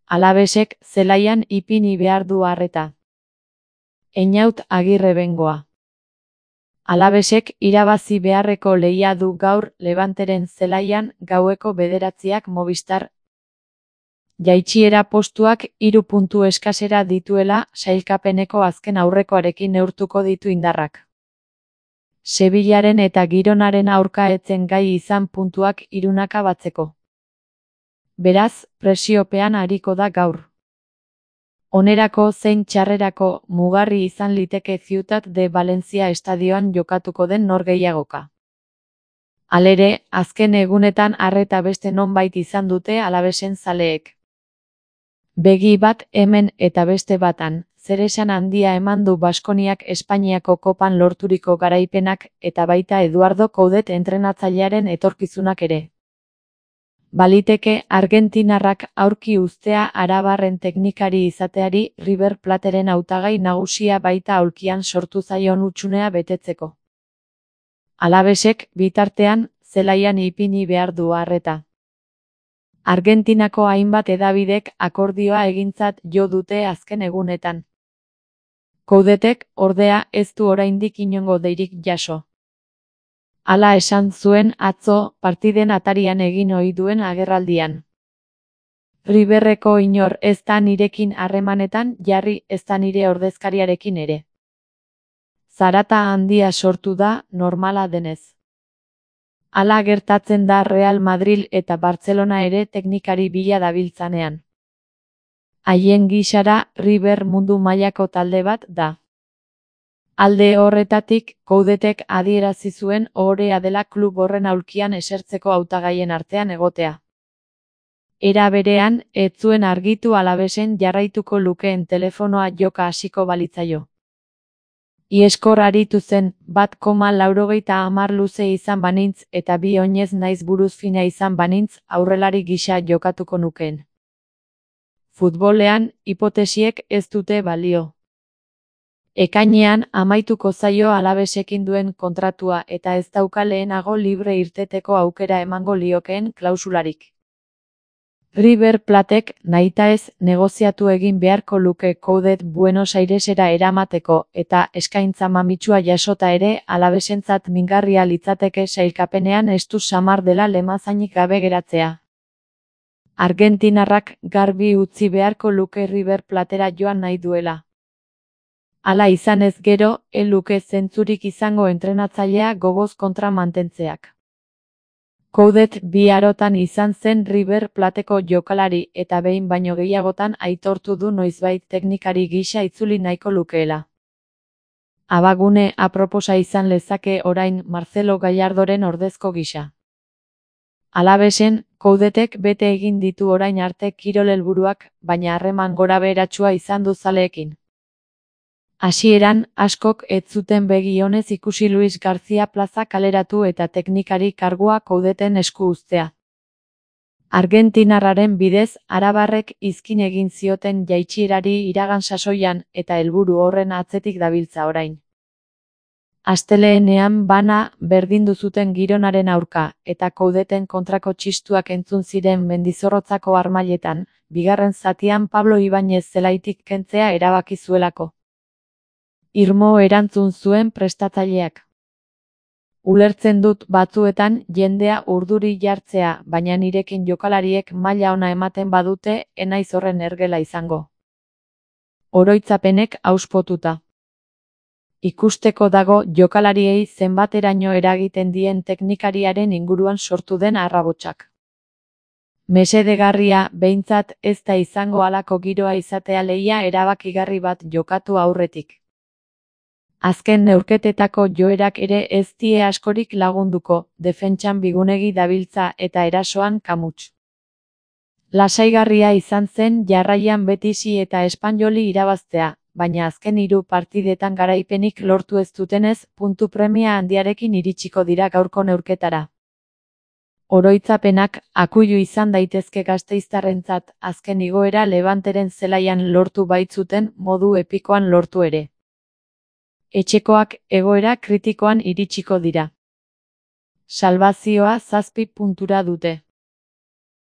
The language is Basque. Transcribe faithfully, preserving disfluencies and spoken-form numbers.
Alabesek zelaian ipini behar du arreta. Einaut Agirre Bengoa. Alabesek irabazi beharreko lehia du gaur Levanteren zelaian gaueko bederatziak Movistar. Jaitsiera postuak hiru puntu eskasera dituela sailkapeneko azken aurrekoarekin neurtuko ditu indarrak. Sevillaren eta Gironaren aurka etzen gai izan puntuak hirunaka batzeko. Beraz, presiopean ariko da gaur. Onerako zein txarrerako mugarri izan liteke Ciutat de Valencia estadioan jokatuko den norgehiagoka. Halere, azken egunetan arreta beste nonbait izan dute Alabesen zaleek. Begi bat hemen eta beste batan, zeresan handia eman du Baskoniak Espainiako kopan lorturiko garaipenak eta baita Eduardo Coudet entrenatzailearen etorkizunak ere. Baliteke argentinarrak aurki uztea arabarren teknikari izateari River Plateren hautagai nagusia baita aulkian sortu zaion hutsunea betetzeko. Alabesek, bitartean, zelaian ipini behar du arreta. Argentinako hainbat hedabidek akordioa egintzat jo dute azken egunetan. Coudetek, ordea, ez du oraindik inongo deirik jaso. Hala esan zuen atzo partiden atarian egin ohi duen agerraldian. Riverreko inor ez da nirekin harremanetan jarri ez da nire ordezkariarekin ere. Zarata handia sortu da normala denez. Hala gertatzen da Real Madrid eta Barcelona ere teknikari bila dabiltzanean. Haien gisara River mundu mailako talde bat da. Alde horretatik, Coudetek adierazi zuen ohorea dela klub horren aulkian esertzeko hautagaien artean egotea. Era berean, ez zuen argitu Alabesen jarraituko lukeen telefonoa joka hasiko balitzaio. Ieskor aritu zen, bat koma laurogeita hamar luze izan banintz eta bi oinez naiz buruz fina izan banintz aurrelari gisa jokatuko nukeen. Futbolean, hipotesiek ez dute balio. Ekainean amaituko zaio Alabesekin duen kontratua eta ez dauka lehenago libre irteteko aukera emango liokeen klausularik. River Platek nahitaez negoziatu egin beharko luke Coudet Buenos Airesera eramateko eta eskaintza mamitsua jasota ere Alabesentzat mingarria litzateke sailkapenean estu samar dela lemazainik gabe geratzea. Argentinarrak garbi utzi beharko luke River Platera joan nahi duela. Hala izan ez gero, ez luke zentzurik izango entrenatzailea gogoz kontra mantentzeak. Coudet bi arotan izan zen River Plateko jokalari eta behin baino gehiagotan aitortu du noizbait teknikari gisa itzuli nahiko lukeela. Abagune aproposa izan lezake orain Marcelo Gallardoren ordezko gisa. Alabesen, Coudetek bete egin ditu orain arte kirol helburuak, baina harreman gorabeheratsua izan du zaleekin. Hasieran, askok ez zuten begi onez ikusi Luis García Plaza kaleratu eta teknikari kargua Coudeten esku uztea. Argentinarraren bidez, arabarrek izkin egin zioten jaitsierari iragan sasoian eta helburu horren atzetik dabiltza orain. Asteleenean bana berdindu zuten Gironaren aurka eta Coudeten kontrako txistuak entzun ziren Mendizorrotzako harmailetan, bigarren zatian Pablo Ibáñez zelaitik kentzea erabaki zuelako. Irmo erantzun zuen prestatzaileak. Ulertzen dut batzuetan jendea urduri jartzea, baina nirekin jokalariek maila ona ematen badute, enaiz horren ergela izango. Oroitzapenek auspotuta. Ikusteko dago jokalariei zenbateraino eragiten dien teknikariaren inguruan sortu den arrabotsak. Mesedegarria, behintzat, ez da izango halako giroa izatea lehia erabakigarri bat jokatu aurretik. Azken neurketetako joerak ere ez die askorik lagunduko, defentsan bigunegi dabiltza eta erasoan kamuts. Lasaigarria izan zen jarraian Betisi eta Espainoli irabaztea, baina azken hiru partidetan garaipenik lortu ez dutenez, puntu premia handiarekin iritsiko dira gaurko neurketara. Oroitzapenak akuilu izan daitezke gasteiztarrentzat, azken igoera Levanteren zelaian lortu baitzuten modu epikoan lortu ere. Etxekoak egoera kritikoan iritsiko dira. Salbazioa zazpi puntura dute.